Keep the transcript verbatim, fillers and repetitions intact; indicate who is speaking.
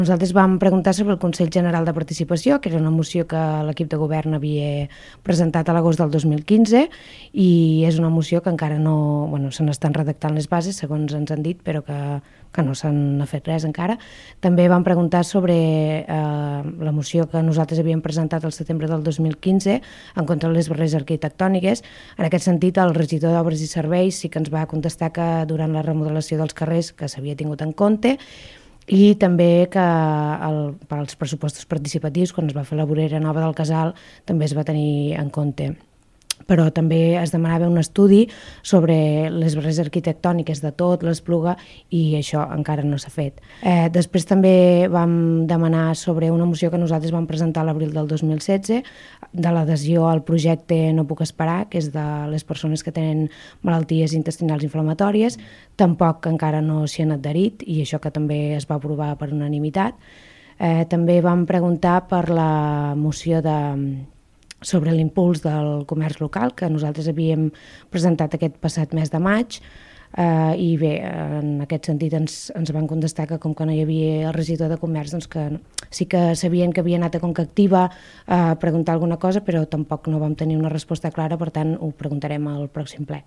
Speaker 1: Nosaltres vam preguntar sobre el Consell General de Participació, que era una moció que l'equip de govern havia presentat a l'agost del dos mil quinze i és una moció que encara no... Bueno, se n'estan redactant les bases, segons ens han dit, però que, que no s'han fet res encara. També vam preguntar sobre eh, la moció que nosaltres havíem presentat al setembre del dos mil quinze en contra de les barreres arquitectòniques. En aquest sentit, el regidor d'Obres i Serveis sí que ens va contestar que durant la remodelació dels carrers que s'havia tingut en compte, i també que el, per als pressupostos participatius, quan es va fer la vorera nova del casal, també es va tenir en compte. Però també es demanava un estudi sobre les barreres arquitectòniques de tot, l'Espluga, i això encara no s'ha fet. Eh, després també vam demanar sobre una moció que nosaltres vam presentar a l'abril del dos mil setze, de l'adhesió al projecte No puc esperar, que és de les persones que tenen malalties intestinals inflamatòries. Tampoc encara no s'hi han adherit, i això que també es va aprovar per unanimitat. Eh, també vam preguntar per la moció de... sobre l'impuls del comerç local, que nosaltres havíem presentat aquest passat mes de maig, eh, i bé, en aquest sentit ens, ens van contestar que com que no hi havia el regidor de comerç, doncs que sí que sabien que havia anat a Conca Activa a preguntar alguna cosa, però tampoc no vam tenir una resposta clara, per tant ho preguntarem al pròxim ple.